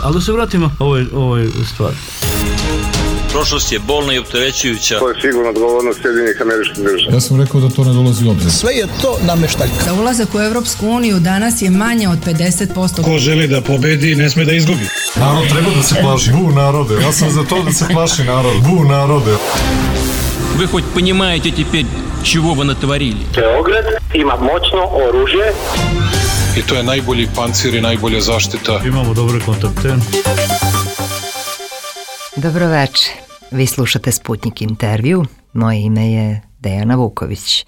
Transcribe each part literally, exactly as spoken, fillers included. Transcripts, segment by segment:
Ali da se vratimo ovoj, ovoj stvari. Prošlost je bolna i opterećujuća. To je sigurno odgovornost Sjedinjenih Američkih Država. Ja sam rekao da to ne dolazi u obzir. Sve je to nameštaljka. Za ulazak u Evropsku uniju danas je manje od pedeset posto. Ko želi da pobedi, ne sme da izgubi. Narod treba da se plaši. Bu narode. Ja sam za to da se plaši narod. Bu narode. Вы хоть понимаете теперь, чего вы натворили? Beograd ima moćno oružje. I to je najbolji pancir i najbolja zaštita. Imamo dobre kontakte. Dobroveče, vi slušate Sputnik intervju, moje ime je Dejana Vuković.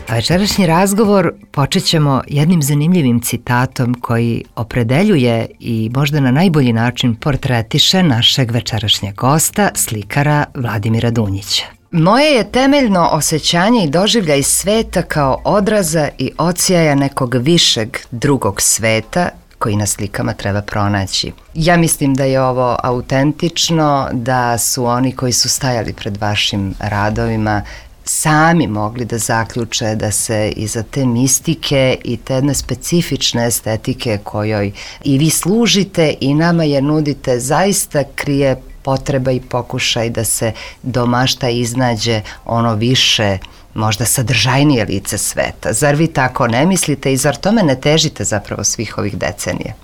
A večerašnji razgovor počet ćemo jednim zanimljivim citatom koji opredeljuje i možda na najbolji način portretiše našeg večerašnjeg gosta, slikara Vladimira Dunjića. Moje je temeljno osjećanje i doživljaj sveta kao odraza i odsjaja nekog višeg drugog sveta koji na slikama treba pronaći. Ja mislim da je ovo autentično, da su oni koji su stajali pred vašim radovima sami mogli da zaključe da se iza te mistike i te jedne specifične estetike kojoj i vi služite i nama je nudite zaista krije potreba i pokušaj da se domašta iznađe ono više, možda sadržajnije lice sveta. Zar vi tako ne mislite i zar tome ne težite zapravo svih ovih decenija?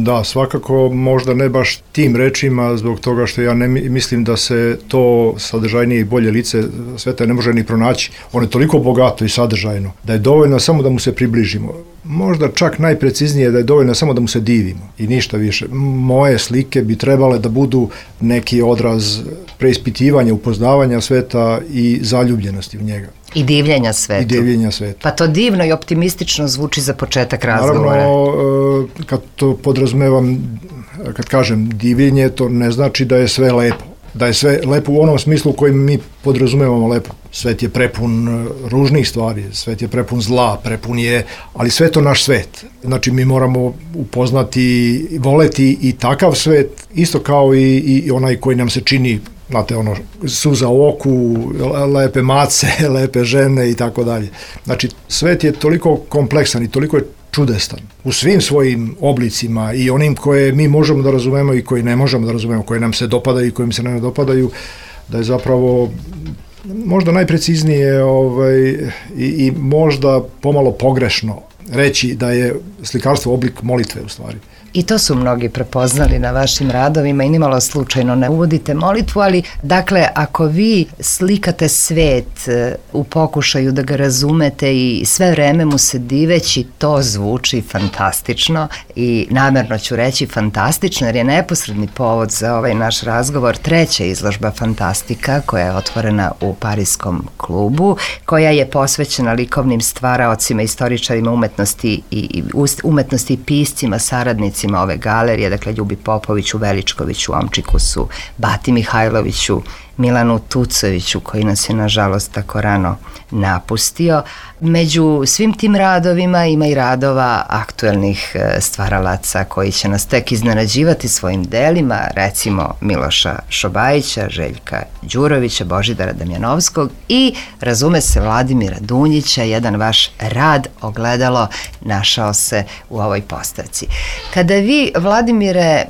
Da, svakako možda ne baš tim rečima, zbog toga što ja ne mislim da se to sadržajnije i bolje lice sveta ne može ni pronaći. Ono je toliko bogato i sadržajno da je dovoljno samo da mu se približimo. Možda čak najpreciznije da je dovoljno samo da mu se divimo i ništa više. Moje slike bi trebale da budu neki odraz preispitivanja, upoznavanja sveta i zaljubljenosti u njega. I divljenja svetu. I divljenja svetu. Pa to divno i optimistično zvuči za početak razgovora. Naravno, kad to podrazumevam, kad kažem divljenje, to ne znači da je sve lepo. Da je sve lepo u onom smislu u kojem mi podrazumevamo lepo. Svet je prepun ružnih stvari, svet je prepun zla, prepun je, ali sve to naš svet. Znači mi moramo upoznati, voleti i takav svet, isto kao i, i onaj koji nam se čini, znate, ono, suza u oku, lepe mace, lepe žene i tako dalje. Znači, svet je toliko kompleksan i toliko je čudestan u svim svojim oblicima i onim koje mi možemo da razumemo i koji ne možemo da razumemo, koje nam se dopadaju i kojim se ne dopadaju, da je zapravo možda najpreciznije ovaj, i, i možda pomalo pogrešno reći da je slikarstvo oblik molitve u stvari. I to su mnogi prepoznali na vašim radovima i nimalo slučajno ne uvodite molitvu, ali dakle ako vi slikate svet u pokušaju da ga razumete i sve vreme mu se diveći, to zvuči fantastično i namerno ću reći fantastično jer je neposredni povod za ovaj naš razgovor treća izložba Fantastika koja je otvorena u Pariskom klubu, koja je posvećena likovnim stvaraocima, istoričarima umetnosti i umetnosti i piscima, saradnicima ove galerije, dakle Ljubi Popoviću, Veličkoviću, Omčikusu, Bati Mihajloviću, Milanu Tucoviću koji nas je nažalost tako rano napustio. Među svim tim radovima ima i radova aktuelnih stvaralaca koji će nas tek iznenađivati svojim delima, recimo Miloša Šobajića, Željka Đurovića, Božidara Damjanovskog i, razume se, Vladimira Dunjića. Jedan vaš rad ogledalo našao se u ovoj postavci. Kada vi, Vladimire,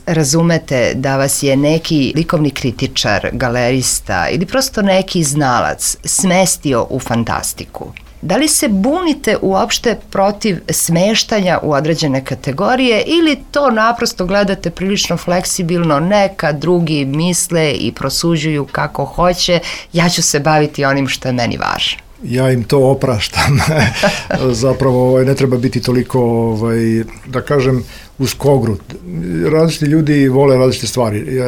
razumete da vas je neki likovni kritičar, galerista ili prosto neki znalac smestio u fantastiku, da li se bunite uopšte protiv smeštanja u određene kategorije ili to naprosto gledate prilično fleksibilno, neka drugi misle i prosuđuju kako hoće, ja ću se baviti onim što je meni važno? Ja im to opraštam. Zapravo ne treba biti toliko, ovaj, da kažem, uskogrut. Različiti ljudi vole različite stvari,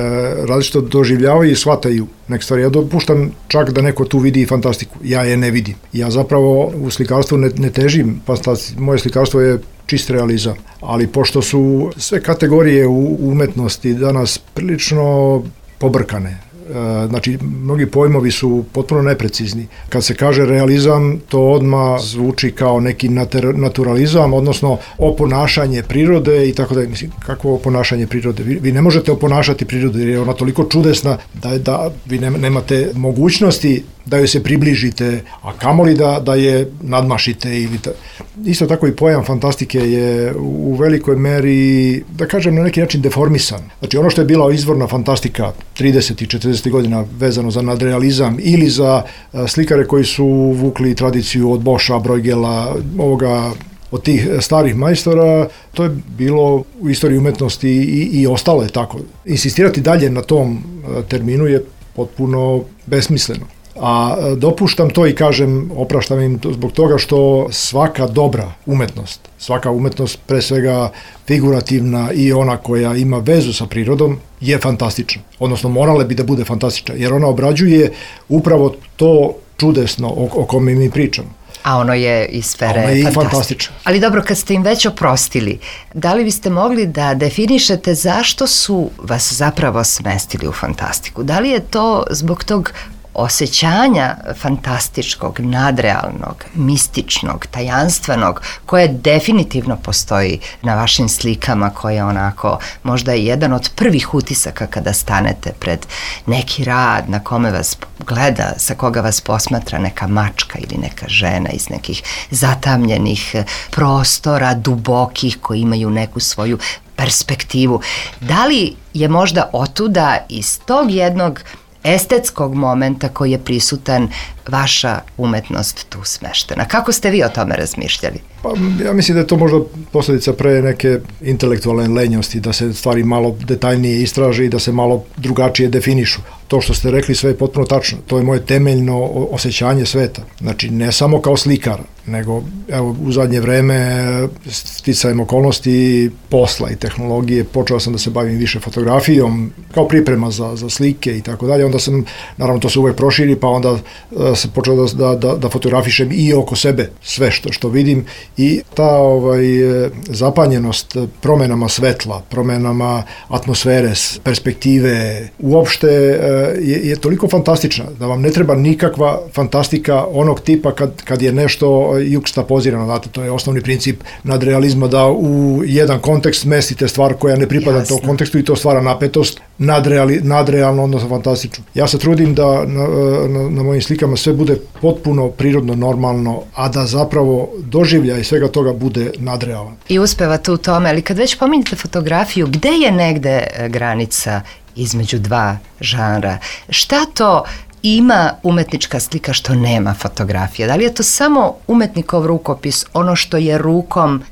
različito doživljavaju i shvataju neke stvari. Ja dopuštam čak da neko tu vidi fantastiku, ja je ne vidim. Ja zapravo u slikarstvu ne, ne težim fantastiku, moje slikarstvo je čist realizam, ali pošto su sve kategorije u umetnosti danas prilično pobrkane, znači mnogi pojmovi su potpuno neprecizni. Kad se kaže realizam, to odmah zvuči kao neki naturalizam, odnosno oponašanje prirode i tako da, mislim, kako oponašanje prirode? Vi, vi ne možete oponašati prirodu jer je ona toliko čudesna da, da vi nemate mogućnosti da joj se približite, a kamoli da, da je nadmašite. Ili ta... Isto tako i pojam fantastike je u velikoj meri, da kažem, na neki način deformisan. Znači ono što je bila izvorna fantastika tridesetih i četrdesetih godina vezano za nadrealizam ili za slikare koji su vukli tradiciju od Boscha, Bruegela, ovoga, od tih starih majstora, to je bilo u istoriji umetnosti i, i ostalo je tako. Insistirati dalje na tom terminu je potpuno besmisleno. A dopuštam to i kažem, opraštam im to zbog toga što svaka dobra umetnost, svaka umetnost pre svega figurativna i ona koja ima vezu sa prirodom je fantastična. Odnosno morale bi da bude fantastična, jer ona obrađuje upravo to čudesno o, o kome mi pričamo. A ono je iz sfere ono je fantastično. fantastično. Ali dobro, kad ste im već oprostili, da li biste mogli da definišete zašto su vas zapravo smestili u fantastiku? Da li je to zbog tog osjećanja fantastičkog, nadrealnog, mističnog, tajanstvenog, koje definitivno postoji na vašim slikama, koje onako možda je jedan od prvih utisaka kada stanete pred neki rad na kome vas gleda, sa koga vas posmatra neka mačka ili neka žena iz nekih zatamljenih prostora, dubokih, koji imaju neku svoju perspektivu. Da li je možda otuda iz tog jednog estetskog momenta koji je prisutan vaša umetnost tu smeštena? Kako ste vi o tome razmišljali? Pa, ja mislim da je to možda posljedica pre neke intelektualne lenjosti, da se stvari malo detaljnije istraže i da se malo drugačije definišu. To što ste rekli sve je potpuno tačno. To je moje temeljno osjećanje sveta. Znači, ne samo kao slikar, nego evo, u zadnje vreme sticajem okolnosti posla i tehnologije počeo sam da se bavim više fotografijom kao priprema za, za slike i tako dalje. Onda sam, naravno to se uvek proširi, pa onda uh, sam počeo da, da, da fotografišem i oko sebe sve što, što vidim i ta ovaj, zapanjenost promenama svetla, promenama atmosfere, perspektive, uopšte je, je toliko fantastična da vam ne treba nikakva fantastika onog tipa kad, kad je nešto jukstapozirano, znate, to je osnovni princip nadrealizma, da u jedan kontekst mestite stvar koja ne pripada tom kontekstu i to stvara napetost, nadreali, nadrealno, odnosno fantastično. Ja se trudim da na, na, na mojim slikama sve bude potpuno prirodno, normalno, a da zapravo doživljaj svega toga bude nadrealan. I uspevate u tome, ali kad već pominjete fotografiju, gde je negde granica između dva žanra? Šta to ima umetnička slika što nema fotografija? Da li je to samo umetnikov rukopis, ono što je rukom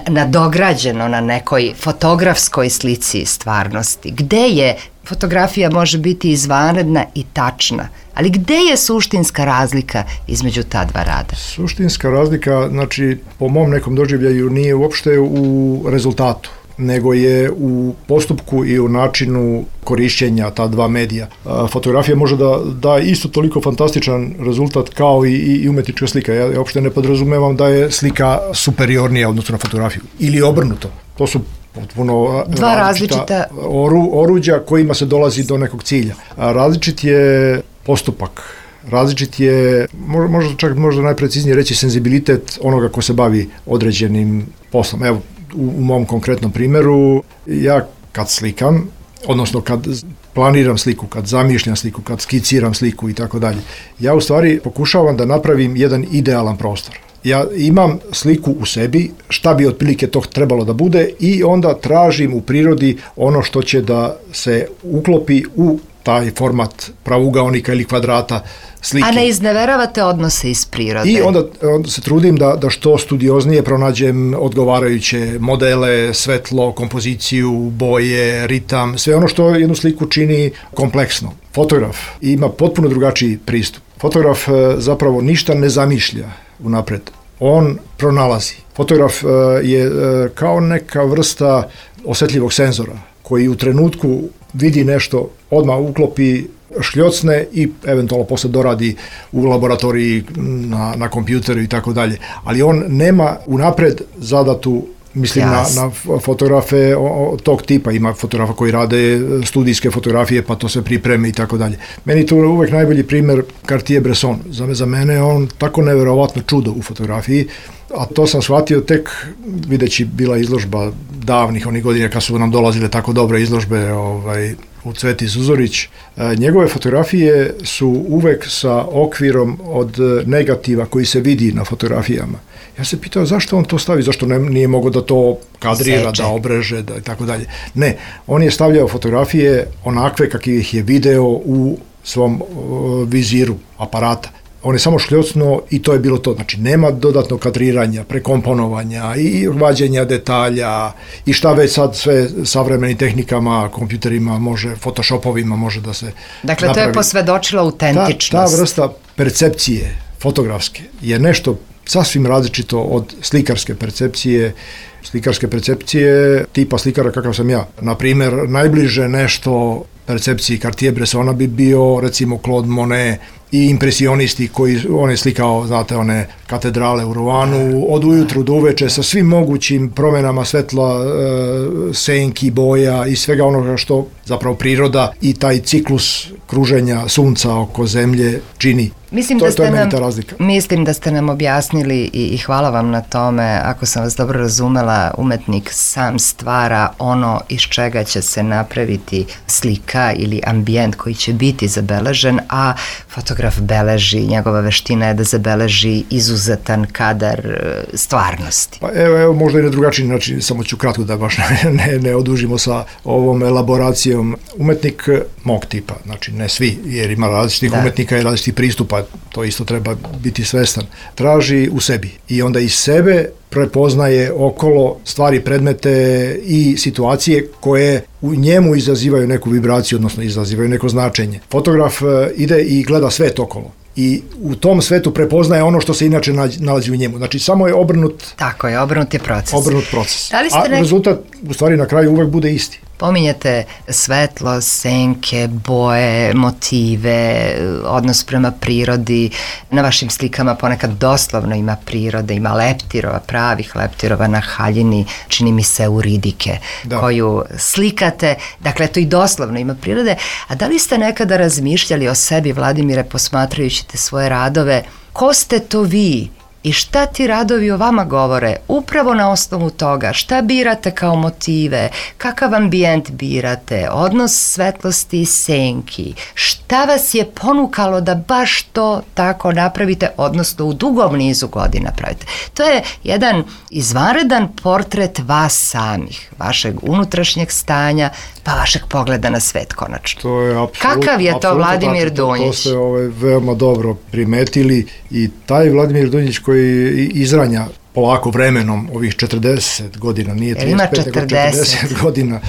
nadograđeno na nekoj fotografskoj slici stvarnosti? Gde je fotografija može biti izvanredna i tačna, ali gde je suštinska razlika između ta dva rada? Suštinska razlika, znači, po mom nekom doživljaju nije uopšte u rezultatu, nego je u postupku i u načinu korišćenja ta dva medija. Fotografija može da da isto toliko fantastičan rezultat kao i, i umetnička slika. Ja uopšte ne podrazumevam da je slika superiornija odnosno na fotografiju. Ili obrnuto. To su potpuno dva različita, različita... Oru, oruđa kojima se dolazi do nekog cilja. A različit je postupak. Različit je, možda čak možda najpreciznije reći, senzibilitet onoga ko se bavi određenim poslom. Evo, u, u mom konkretnom primjeru, ja kad slikam, odnosno kad planiram sliku, kad zamišljam sliku, kad skiciram sliku i tako dalje, ja u stvari pokušavam da napravim jedan idealan prostor. Ja imam sliku u sebi, šta bi otprilike to trebalo da bude, i onda tražim u prirodi ono što će da se uklopi u taj format pravougaonika ili kvadrata slike. A ne izneveravate odnose iz prirode? I onda, onda se trudim da, da što studioznije pronađem odgovarajuće modele, svetlo, kompoziciju, boje, ritam, sve ono što jednu sliku čini kompleksno. Fotograf ima potpuno drugačiji pristup. Fotograf zapravo ništa ne zamišlja unapred. On pronalazi. Fotograf je kao neka vrsta osjetljivog senzora koji u trenutku vidi nešto, odmah uklopi, šljocne i eventualno posle doradi u laboratoriji na, na kompjuteru i tako dalje. Ali on nema unapred zadatu, mislim yes. na, na fotografe o, o, tog tipa. Ima fotografa koji rade studijske fotografije pa to se pripreme i tako dalje. Meni tu uvek najbolji primjer Cartier-Bresson. Za, za mene je on tako neverovatno čudo u fotografiji, a to sam shvatio tek videći bila izložba davnih onih godina kad su nam dolazile tako dobre izložbe ovaj, u Cveti Zuzorić. Njegove fotografije su uvek sa okvirom od negativa koji se vidi na fotografijama. Ja se pitao zašto on to stavi, zašto ne, nije mogao da to kadrira, Seče. da obreže, da i tako dalje. Ne, on je stavljao fotografije onakve kakve ih je video u svom uh, viziru aparata. On je samo šljocnuo i to je bilo to. Znači, nema dodatnog kadriranja, prekomponovanja i vađenja detalja i šta već sad sve savremenim tehnikama, kompjuterima može, photoshopovima može da se Dakle, napravi. to je posvedočilo autentičnost. Ta, ta vrsta percepcije fotografske je nešto sasvim različito od slikarske percepcije, slikarske percepcije tipa slikara kakav sam ja. Na primjer, najbliže nešto percepciji Cartier-Bressona bi bio recimo Claude Monet i impresionisti koji on je slikao, znate, one katedrale u Roanu od ujutru do uveče sa svim mogućim promenama svetla, e, senki, boja i svega onoga što zapravo priroda i taj ciklus kruženja sunca oko zemlje čini. Mislim to, da ste to je meni nam, ta razlika. Mislim da ste nam objasnili i, i hvala vam na tome. Ako sam vas dobro razumela, umetnik sam stvara ono iz čega će se napraviti slika ili ambijent koji će biti zabeležen, a fotograf beleži, njegova veština je da zabeleži izuzetan kadar stvarnosti. Pa evo, evo možda i na drugačiji način, samo ću kratko da baš ne, ne odužimo sa ovom elaboracijom. Umetnik mog tipa, znači ne svi, jer ima različitih da. umetnika i različitih pristupa, to isto treba biti svestan, traži u sebi i onda iz sebe prepoznaje okolo stvari, predmete i situacije koje u njemu izazivaju neku vibraciju, odnosno izazivaju neko značenje. Fotograf ide i gleda svet okolo i u tom svetu prepoznaje ono što se inače nalazi u njemu. Znači, samo je obrnut... Tako je, obrnut je proces. Obrnut proces. Da li ste A nek... rezultat, u stvari, na kraju uvek bude isti. Pominjete svetlo, senke, boje, motive, odnos prema prirodi. Na vašim slikama ponekad doslovno ima prirode, ima leptirova, pravih leptirova na haljini, čini mi se uridike, da. koju slikate. Dakle, to i doslovno ima prirode. A da li ste nekada razmišljali o sebi, Vladimire, posmatrajući te svoje radove? Ko ste to vi? I šta ti radovi o vama govore? Upravo na osnovu toga, šta birate kao motive, kakav ambijent birate, odnos svetlosti i senki, šta vas je ponukalo da baš to tako napravite, odnosno u dugom nizu godina pravite. To je jedan izvanredan portret vas samih, vašeg unutrašnjeg stanja, pa vašeg pogleda na svet konačno. To je apsolut, Kakav je to Vladimir Dunjić? To ste ovaj, veoma dobro primetili i taj Vladimir Dunjić koji izranja polako vremenom ovih četrdeset godina, nije trideset pet, nego četrdeset godina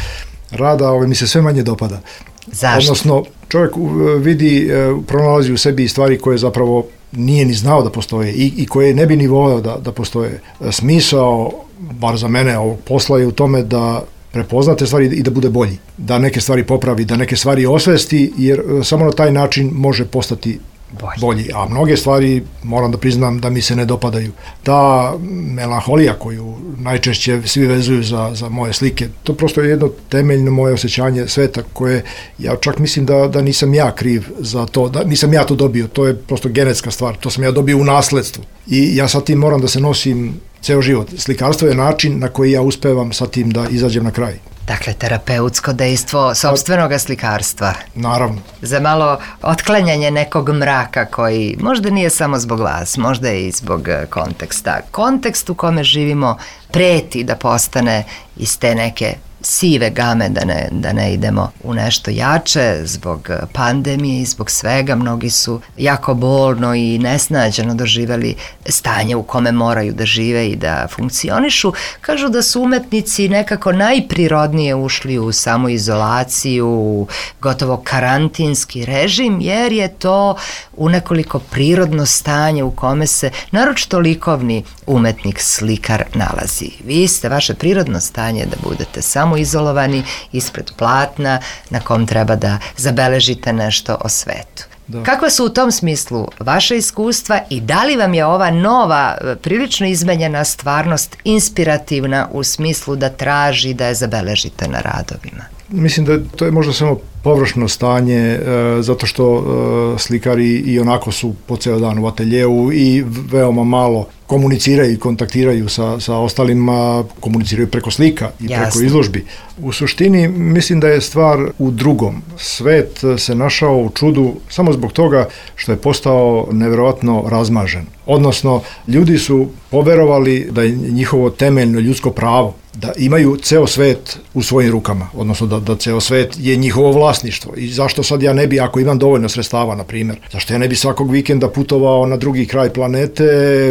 rada, ovaj, mi se sve manje dopada. Zašto? Odnosno, čovjek vidi, pronalazi u sebi stvari koje zapravo nije ni znao da postoje i, i koje ne bi ni voleo da, da postoje. Smisao, bar za mene, ovog posla je u tome da prepoznate stvari i da bude bolji, da neke stvari popravi, da neke stvari osvesti, jer samo na taj način može postati bolji. bolji. A mnoge stvari, moram da priznam, da mi se ne dopadaju. Ta melanholija koju najčešće svi vezuju za, za moje slike, to prosto je jedno temeljno moje osjećanje sveta koje, ja čak mislim da, da nisam ja kriv za to, da nisam ja to dobio, to je prosto genetska stvar, to sam ja dobio u nasledstvu. I ja sa tim moram da se nosim ceo život. Slikarstvo je način na koji ja uspevam sa tim da izađem na kraj. Dakle, terapeutsko dejstvo sopstvenoga slikarstva. Naravno. Za malo otklanjanje nekog mraka koji možda nije samo zbog vas, možda je i zbog konteksta. Kontekst u kome živimo preti da postane iz te neke sive game, da ne, da ne idemo u nešto jače zbog pandemije i zbog svega. Mnogi su jako bolno i nesnađeno doživeli stanje u kome moraju da žive i da funkcionišu. Kažu da su umetnici nekako najprirodnije ušli u samoizolaciju, u gotovo karantinski režim, jer je to u nekoliko prirodno stanje u kome se naročito likovni umetnik, slikar nalazi. Vi ste, vaše prirodno stanje da budete samo izolovani ispred platna na kom treba da zabeležite nešto o svetu. Da. Kakva su u tom smislu vaše iskustva i da li vam je ova nova, prilično izmenjena stvarnost inspirativna u smislu da traži da je zabeležite na radovima? Mislim da to je možda samo površno stanje, e, zato što e, slikari i onako su po ceo dan u ateljeu i veoma malo komuniciraju i kontaktiraju sa, sa ostalima, komuniciraju preko slika i Jasne. preko izložbi. U suštini mislim da je stvar u drugom. Svet se našao u čudu samo zbog toga što je postao nevjerovatno razmažen. Odnosno, ljudi su poverovali da je njihovo temeljno ljudsko pravo da imaju ceo svet u svojim rukama, odnosno da, da ceo svet je njihovo vlasništvo. I zašto sad ja ne bi, ako imam dovoljno sredstava, na primjer, zašto ja ne bi svakog vikenda putovao na drugi kraj planete,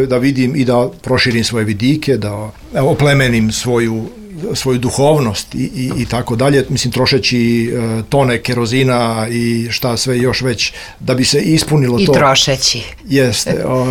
da vidim i da proširim svoje vidike, da oplemenim svoju svoju duhovnost i, i, i tako dalje, mislim trošeći e, tone kerozina i šta sve još već da bi se ispunilo I to. I trošeći. Jeste. O,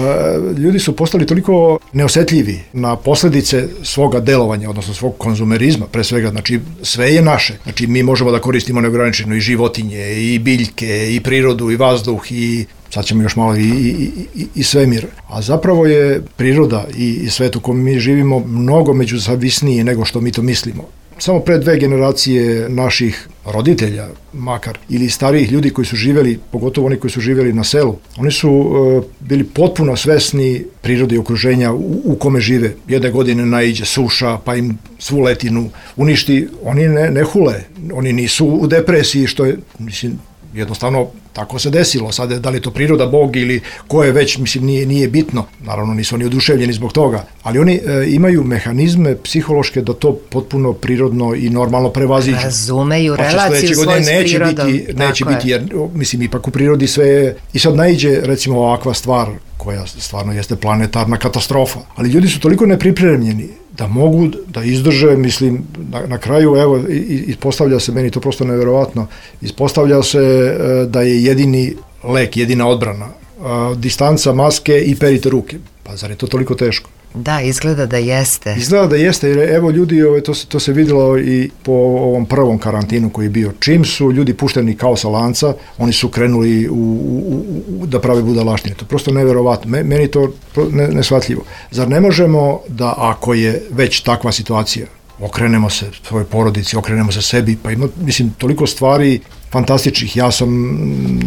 ljudi su postali toliko neosetljivi na posljedice svoga delovanja, odnosno svog konzumerizma, pre svega, znači sve je naše. Znači mi možemo da koristimo neograničeno i životinje, i biljke, i prirodu, i vazduh, i sad ćemo još malo i, i, i, i svemir. A zapravo je priroda i, i svet u kojem mi živimo mnogo međuzavisniji nego što mi to mislimo. Samo pre dve generacije naših roditelja, makar, ili starijih ljudi koji su živjeli, pogotovo oni koji su živjeli na selu, oni su uh, bili potpuno svesni prirode i okruženja u, u kome žive. Jedne godine naiđe suša, pa im svu letinu uništi. Oni ne, ne hule, oni nisu u depresiji, što je, mislim, jednostavno tako se desilo. Sad da li je to priroda, Bog ili ko je već, mislim, nije, nije bitno. Naravno nisu oni oduševljeni zbog toga, ali oni e, imaju mehanizme psihološke da to potpuno prirodno i normalno prevaziđu. Razumeju pa relaciju svoj s neće prirodom. Biti, neće tako biti, jer mislim ipak u prirodi sve je, i sad naiđe recimo ovakva stvar koja stvarno jeste planetarna katastrofa, ali ljudi su toliko nepripremljeni da mogu da izdrže, mislim, na, na kraju, evo, ispostavlja se, meni to prosto nevjerovatno, ispostavlja se e, da je jedini lek, jedina odbrana, e, distanca, maske i perite ruke. Pa zar je to toliko teško? Da, izgleda da jeste. Izgleda da jeste, jer evo ljudi, ove, to, se, to se vidjelo i po ovom prvom karantinu koji je bio. Čim su ljudi pušteni kao sa lanca, oni su krenuli u, u, u, da prave budalaštine. To je prosto nevjerovatno. Meni to ne, nesvatljivo. Zar ne možemo da, ako je već takva situacija, okrenemo se svojoj porodici, okrenemo se sebi, pa ima, mislim, toliko stvari fantastičnih. Ja sam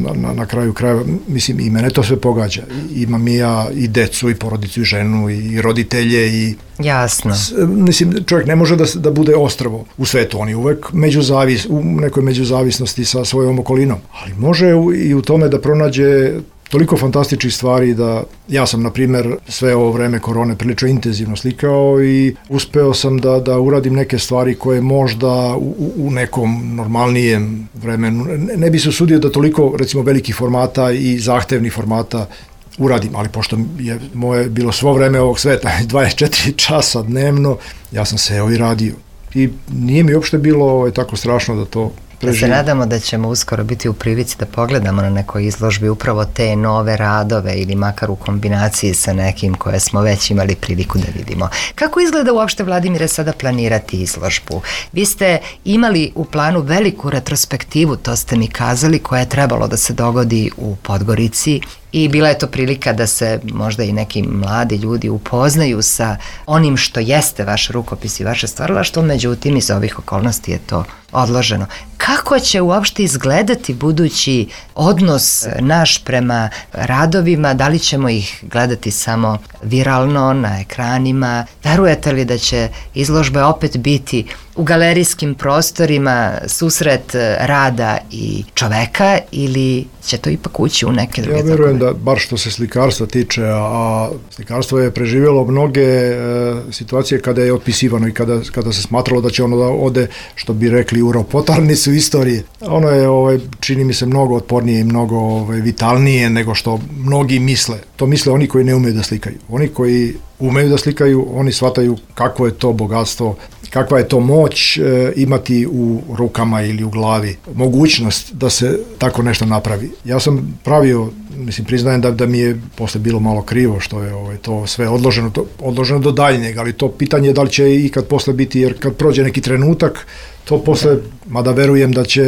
na, na, na kraju krajeva, mislim, i mene to sve pogađa. Imam i ja i decu, i porodicu, i ženu, i roditelje, i... Jasno. S, mislim, čovjek ne može da, da bude ostrvo u svetu, on je uvek međuzavis, u nekoj međuzavisnosti sa svojom okolinom, ali može u, i u tome da pronađe toliko fantastičnih stvari da ja sam, na primjer, sve ovo vreme korone prilično intenzivno slikao i uspeo sam da, da uradim neke stvari koje možda u, u nekom normalnijem vremenu ne, ne bi se usudio da toliko, recimo, velikih formata i zahtevnih formata uradim, ali pošto je moje bilo svo vreme ovog sveta, dvadeset četiri časa dnevno, ja sam seo i radio. I nije mi uopšte bilo ovaj, tako strašno da to Da se nadamo da ćemo uskoro biti u prilici da pogledamo na nekoj izložbi upravo te nove radove ili makar u kombinaciji sa nekim koje smo već imali priliku da vidimo. Kako izgleda uopšte, Vladimire, sada planirati izložbu? Vi ste imali u planu veliku retrospektivu, to ste mi kazali, koja je trebalo da se dogodi u Podgorici i bila je to prilika da se možda i neki mladi ljudi upoznaju sa onim što jeste vaš rukopis i vaše stvaralaštvo, međutim iz ovih okolnosti je to odloženo. Kako će uopšte izgledati budući odnos naš prema radovima? Da li ćemo ih gledati samo viralno na ekranima? Verujete li da će izložbe opet biti u galerijskim prostorima susret rada i čoveka ili će to ipak ući u neke druge? Ja verujem da, bar što se slikarstva tiče, a slikarstvo je preživjelo mnoge e, situacije kada je otpisivano i kada, kada se smatralo da će ono da ode, što bi rekli, u ropotarnicu istorije. Ono je, ovaj, čini mi se, mnogo otpornije i mnogo ovaj, vitalnije nego što mnogi misle. To misle oni koji ne umeju da slikaju. Oni koji umeju da slikaju, oni shvataju kako je to bogatstvo, kakva je to moć e, imati u rukama ili u glavi, mogućnost da se tako nešto napravi. Ja sam pravio, mislim, priznajem da, da mi je posle bilo malo krivo što je ovaj, to sve odloženo, to, odloženo do daljnjeg, ali to pitanje je da li će i kad posle biti, jer kad prođe neki trenutak, to posle, mada verujem da će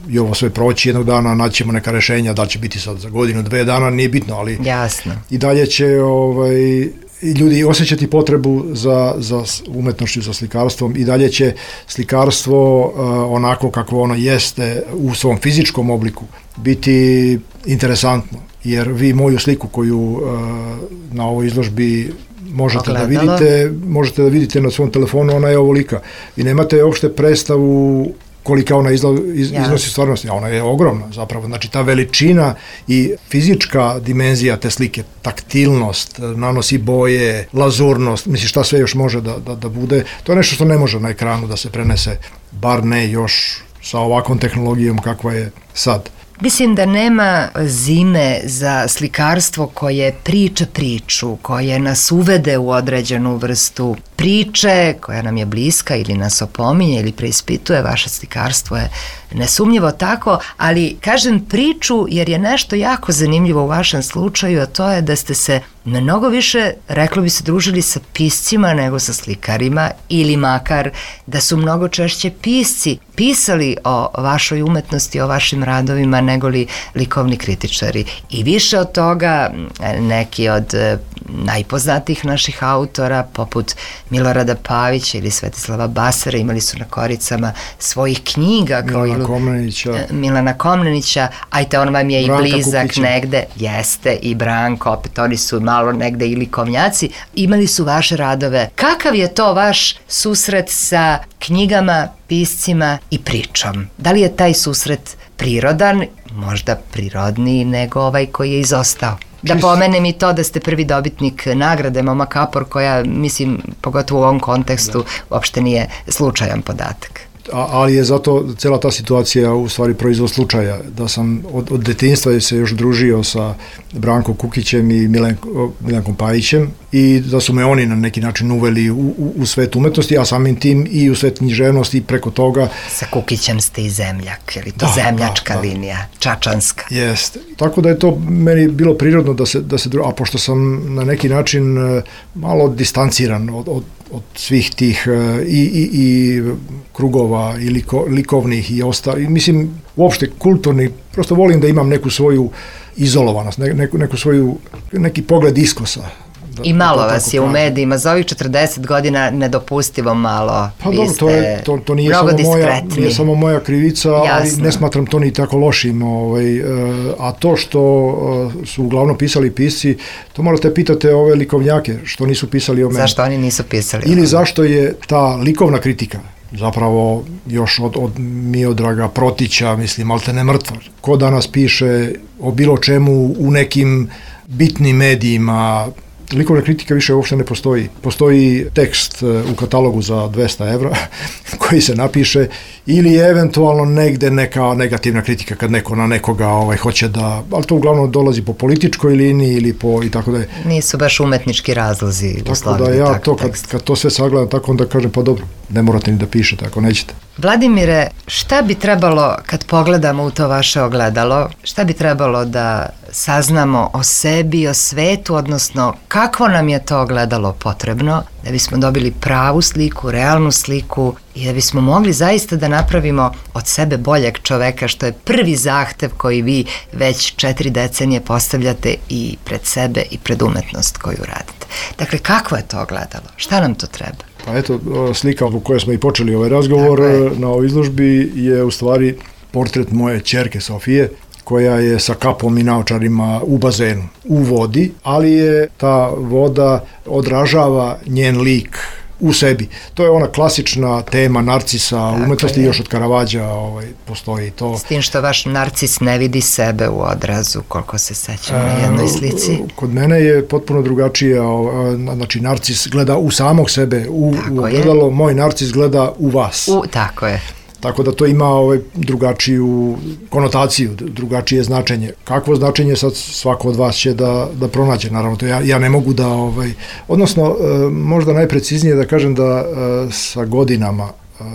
i ovo sve proći jednog dana, naćemo neka rešenja, da li će biti sad za godinu, dve dana, nije bitno, ali jasno. I dalje će ovaj, ljudi osjećati potrebu za, za umetnošću, za slikarstvom, i dalje će slikarstvo uh, onako kako ono jeste u svom fizičkom obliku biti interesantno, jer vi moju sliku koju uh, na ovoj izložbi možete Ogledalo. da vidite, možete da vidite na svom telefonu, ona je ovolika. Vi nemate uopšte predstavu kolika ona izla, iz, iznosi stvarnosti, a ona je ogromna zapravo. Znači ta veličina i fizička dimenzija te slike, taktilnost, nanosi boje, lazurnost, misli šta sve još može da, da, da bude, to je nešto što ne može na ekranu da se prenese, bar ne još sa ovakvom tehnologijom kakva je sad. Mislim da nema zime za slikarstvo koje priča priču, koje nas uvede u određenu vrstu priče, koja nam je bliska ili nas opominje ili preispituje. Vaše slikarstvo je nesumnjivo tako, ali kažem priču jer je nešto jako zanimljivo u vašem slučaju, a to je da ste se mnogo više, reklo bi se, družili sa piscima nego sa slikarima, ili makar da su mnogo češće pisci pisali o vašoj umetnosti, o vašim radovima nego li likovni kritičari. I više od toga neki od najpoznatijih naših autora, poput Milorada Pavića ili Svetislava Basara, imali su na koricama svojih knjiga kao Milana Komnenića, Milana Komnenića, ajte on vam je Branka i blizak Kukića. negde, jeste, i Branko, opet oni su malo negde i likovnjaci, imali su vaše radove. Kakav je to vaš susret sa knjigama, piscima i pričom? Da li je taj susret prirodan, možda prirodniji nego ovaj koji je izostao? Da pomenem i to da ste prvi dobitnik nagrade Moma Kapor, koja, mislim, pogotovo u ovom kontekstu, uopšte nije slučajan podatak. A, ali je zato cela ta situacija u stvari proizvod slučaja, da sam od, od detinjstva se još družio sa Brankom Kukićem i Milen, Milenkom Pajićem i da su me oni na neki način uveli u, u, u svet umetnosti, a samim tim i u svet književnosti i preko toga. Sa Kukićem ste i zemljak, je li to Da, zemljačka da, da. linija, čačanska? Jeste. Tako da je to meni bilo prirodno da se, da se dru... a pošto sam na neki način e, malo distanciran od, od, od svih tih e, i, i, i krugova i liko, likovnih i ostali, mislim, uopšte kulturni, prosto volim da imam neku svoju izolovanost, ne, neku, neku svoju, neki pogled iskosa. Da, I malo da vas je u medijima, za ovih četrdeset godina nedopustivo malo. Pa Vi dobro, to, je, to, to nije, samo moja, nije samo moja krivica, Jasno. Ali ne smatram to ni tako lošim. Ovaj, a to što su uglavnom pisali pisci, to morate pitate ove likovnjake, što nisu pisali o meni. Zašto oni nisu pisali o Ili meni? zašto je ta likovna kritika zapravo još od, od Miodraga Protića, mislim, malte ne mrtva. Ko danas piše o bilo čemu u nekim bitnim medijima, likovna kritika više uopšte ne postoji. Postoji tekst u katalogu za dvesta evra koji se napiše ili eventualno negde neka negativna kritika kad neko na nekoga ovaj, hoće da, ali to uglavnom dolazi po političkoj liniji ili po i tako da je. Nisu baš umetnički razlozi Tako da ja to kad, kad to sve sagledam tako onda kažem pa dobro, ne morate ni da pišete ako nećete. Vladimire, šta bi trebalo kad pogledamo u to vaše ogledalo, šta bi trebalo da saznamo o sebi, o svetu, odnosno kakvo nam je to ogledalo potrebno da bismo dobili pravu sliku, realnu sliku i da bismo mogli zaista da napravimo od sebe boljeg čoveka, što je prvi zahtev koji vi već četiri decenije postavljate i pred sebe i pred umetnost koju radite. Dakle, kakvo je to ogledalo? Šta nam to treba? Pa eto, slika u kojoj smo i počeli ovaj razgovor na ovoj izložbi je u stvari portret moje ćerke Sofije, koja je sa kapom i naočarima u bazenu, u vodi, ali je ta voda odražava njen lik u sebi. To je ona klasična tema narcisa u umetnosti, još od Karavađa ovaj, postoji to. S tim što vaš narcis ne vidi sebe u odrazu, koliko se sećam na jednoj slici. Kod mene je potpuno drugačije, znači narcis gleda u samog sebe, u, u ogledalo, moj narcis gleda u vas. U, tako je. Tako da to ima ovaj drugačiju konotaciju, drugačije značenje. Kakvo značenje sad svako od vas će da, da pronađe, naravno, to ja, ja ne mogu da, ovaj, odnosno, možda najpreciznije da kažem da sa godinama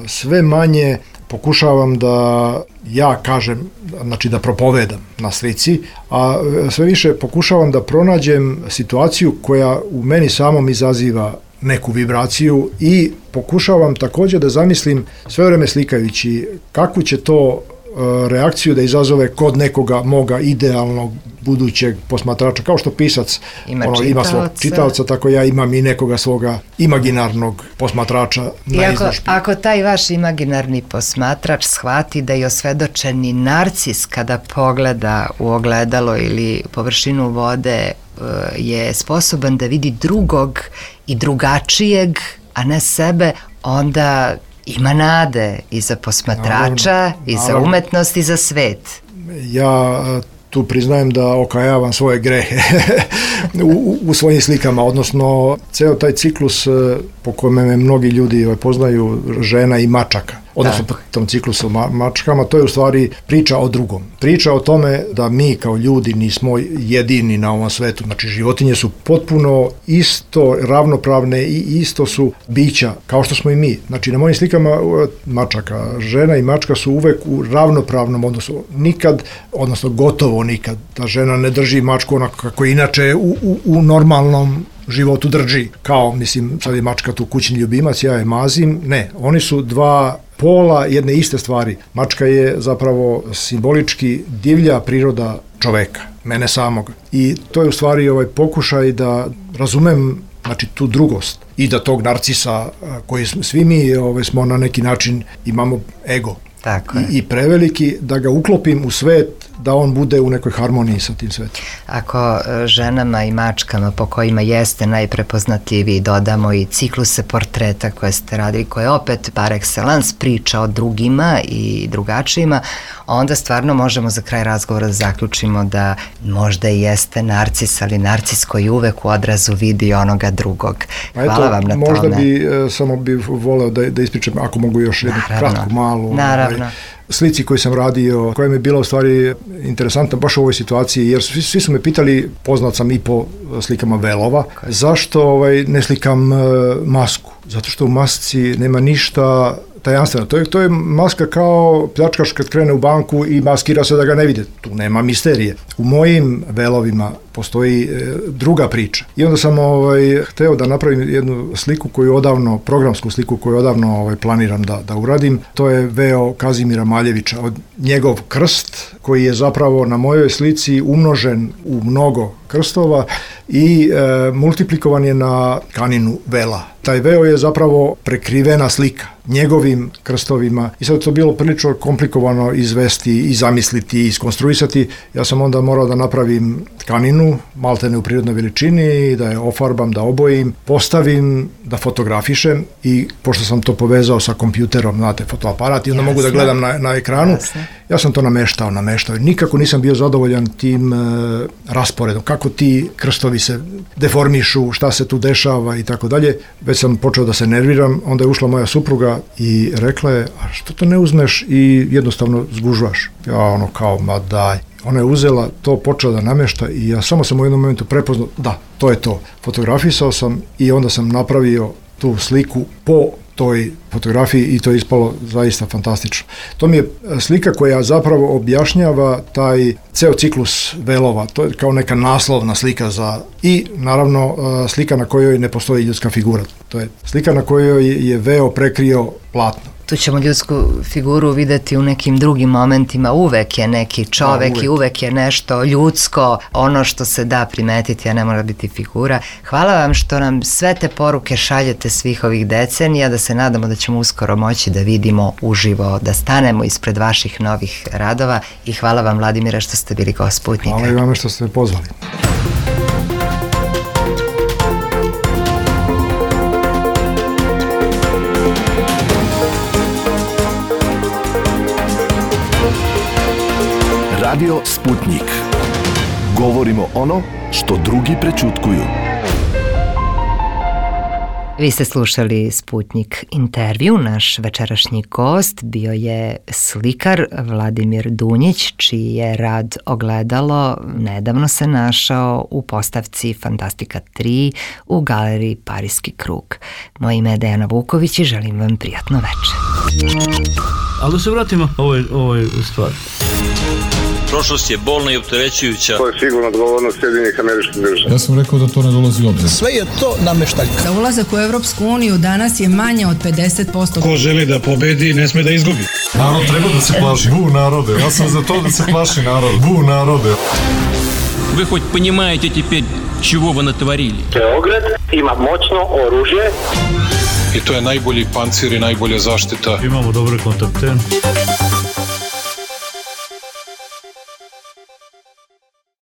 sve manje pokušavam da ja kažem, znači da propovedam na slici, a sve više pokušavam da pronađem situaciju koja u meni samom izaziva neku vibraciju i pokušavam također da zamislim sve vreme slikajući kakvu će to reakciju da izazove kod nekoga moga idealnog budućeg posmatrača, kao što pisac ima, ono, ima svog čitaoca, tako ja imam i nekoga svoga imaginarnog posmatrača na ako, izložbi. Ako taj vaš imaginarni posmatrač shvati da je osvedočeni narcis kada pogleda u ogledalo ili površinu vode je sposoban da vidi drugog i drugačijeg, a ne sebe, onda ima nade i za posmatrača, naravno, i za naravno. Umetnost i za svet. Ja tu priznajem da okajavam svoje grehe u, u svojim slikama, odnosno ceo taj ciklus po kojem me mnogi ljudi poznaju, žena i mačaka, odnosno po tom ciklusu ma, mačkama, to je u stvari priča o drugom. Priča o tome da mi kao ljudi nismo jedini na ovom svetu, znači životinje su potpuno isto ravnopravne i isto su bića, kao što smo i mi. Znači na mojim slikama mačaka, žena i mačka su uvek u ravnopravnom odnosu. Nikad, odnosno gotovo nikad, ta žena ne drži mačku onako kako inače u, u, u normalnom životu drži, kao, mislim, sad je mačka tu kućni ljubimac, ja je mazim, ne, oni su dva pola jedne iste stvari. Mačka je zapravo simbolički divlja priroda čoveka, mene samog. I to je u stvari ovaj pokušaj da razumem, znači, tu drugost i da tog narcisa koji svi mi ovaj, smo na neki način imamo ego. Tako je. I, i preveliki, da ga uklopim u svet, da on bude u nekoj harmoniji sa tim svetom. Ako ženama i mačkama po kojima jeste najprepoznatljiviji dodamo i cikluse portreta koje ste radili, koje opet par excellence priča o drugima i drugačijima, onda stvarno možemo za kraj razgovora da zaključimo da možda i jeste narcis, ali narcis koji uvek u odrazu vidi onoga drugog. Hvala eto, vam na možda tome. Možda bi, samo bih voleo da, da ispričam, ako mogu još jednu kratku, malu. Naravno. Ovaj, slici koju sam radio, koja mi je bila u stvari interesantna baš u ovoj situaciji, jer svi, svi su me pitali, poznat sam i po slikama velova, zašto ovaj, ne slikam uh, masku? Zato što u masci nema ništa tajanstveno. To je, to je maska kao pljačkaš kad krene u banku i maskira se da ga ne vide. Tu nema misterije. U mojim velovima postoji e, druga priča. I onda sam ovaj, hteo da napravim jednu sliku koju odavno, programsku sliku koju odavno ovaj, planiram da, da uradim. To je veo Kazimira Maljevića, od njegov krst koji je zapravo na mojoj slici umnožen u mnogo krstova i e, multiplikovan je na tkaninu vela. Taj veo je zapravo prekrivena slika njegovim krstovima i sad to bilo prilično komplikovano izvesti i zamisliti i iskonstruisati. Ja sam onda morao da napravim tkaninu, maltene u prirodnoj veličini, da je ofarbam, da obojim, postavim, da fotografišem i pošto sam to povezao sa kompjuterom, znate, fotoaparat i onda Jasne. Mogu da gledam na, na ekranu, Jasne. Ja sam to nameštao, nameštao. Nikako nisam bio zadovoljan tim e, rasporedom, kako ti krstovi se deformišu, šta se tu dešava i tako dalje. Već sam počeo da se nerviram, onda je ušla moja supruga i rekla je, a što to ne uzmeš i jednostavno zgužvaš? Ja ono kao, ma daj. Ona je uzela to, počela da namešta i ja samo sam u jednom momentu prepoznao, da, to je to. Fotografisao sam i onda sam napravio tu sliku po toj fotografiji i to je ispalo zaista fantastično. To mi je slika koja zapravo objašnjava taj ceo ciklus velova, to je kao neka naslovna slika za i naravno slika na kojoj ne postoji ljudska figura. To je slika na kojoj je veo prekrio platno. Tu ćemo ljudsku figuru videti u nekim drugim momentima, uvek je neki čovek da, uvek. I uvek je nešto ljudsko, ono što se da primetiti, a ne mora biti figura. Hvala vam što nam sve te poruke šaljete svih ovih decenija, da se nadamo da ćemo uskoro moći da vidimo uživo, da stanemo ispred vaših novih radova i hvala vam, Vladimire, što ste bili gost Sputnika. Hvala i vama što ste me pozvali. Radio Sputnik. Govorimo ono što drugi prećutkuju. Vi ste slušali Sputnik intervju. Naš večerašnji gost bio je slikar Vladimir Dunjić, čiji je rad Ogledalo nedavno se našao u postavci Fantastika tri u galeriji Parijski krug. Moje ime je Dejana Vuković i želim vam prijatno večer. Ali da se vratimo ovoj, ovoj stvari. Prošlost je bolna i opterećujuća. To je sigurno odgovornost Sjedinjenih Američkih Država. Ja sam rekao da to ne dolazi u obzir. Sve je to nameštaljka. Za ulazak u Europsku uniju danas je manje od pedeset posto. Ko želi da pobedi, ne sme da izgubi. Narod treba da se plaši. Bu narode. Ja sam za to da se plaši narod. Bu narode. Вы хоть понимаете теперь, чего вы натворили? Beograd ima moćno oružje. I to je najbolji pancir i najbolja zaštita. Imamo dobre kontakte.